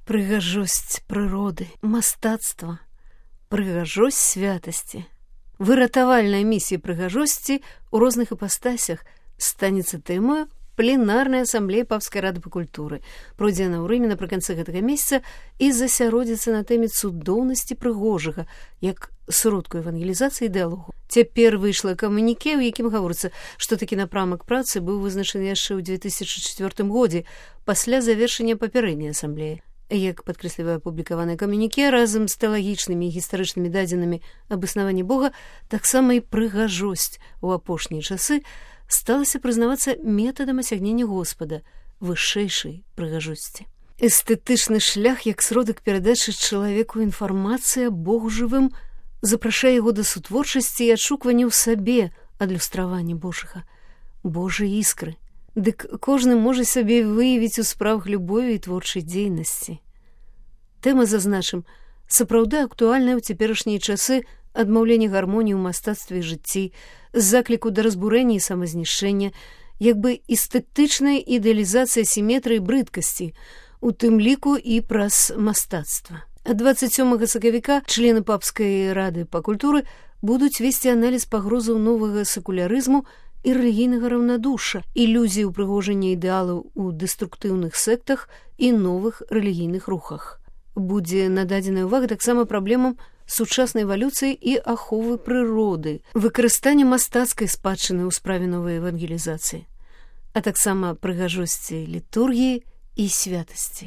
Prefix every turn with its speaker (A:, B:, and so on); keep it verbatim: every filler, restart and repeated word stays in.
A: Прыгажосць прыроды, мастацтва, прыгажосць святасці. Выратавальная місія прыгажосці ў розных іпастасях станецца тэмою пленарнай асамблеі Папскай рады па культуры. Пройдзе яна ў Рыме напрыканцы гэтага месяца і засяродзіцца на тэме цудоўнасці прыгожага, як сродку евангелізацыі дыялогу. Цяпер выйшла камуніке, у якім гаворыцца, што такі напрамак працы быў вызначаны яшчэ ў дзве тысячы чацвёртым годзе пасля завершэння папярэдняй асамблеі. Як падкрэслівае апублікаванае камуніке, разам з тэалагічнымі і гістарычнымі дадзенымі аб існаванні Бога, таксама і прыгажосць у апошнія часы сталася прызнавацца метадам асягнення Господа, вышэйшай прыгажосці. Эстэтычны шлях, як сродак перадачы чалавеку інфармацыі аб Богу жывым, запрашае яго да сутворчасці і адшуквання ў сабе адлюстравання Божага, Божай іскры. Дык кожны можа сабе выявіць у справах любові і творчай дзейнасці. Тэма, зазначым, сапраўды актуальная ў цяперашнія часы адмаўлення гармоніі ў мастацтве і жыцці, закліку да разбурэння і самазнішчэння, як бы эстэтычная ідэалізацыя сіметрыі брыдкасці, у тым ліку і праз мастацтва. А дваццаць сёмага сакавіка члены Папскай рады па культуры будуць весці аналіз пагрозаў новага секулярызму і рэлігійнага раўнадушша, ілюзій упрыгожання ідэалаў у дэструктыўных сектах і новых рэлігійных рухах. Будзе нададзеная ўвага таксама праблемам сучаснай эвалюцыі і аховы прыроды, выкарыстання мастацкай спадчыны ў справе новай евангелізацыі, а таксама прыгажосці літургіі і святасці.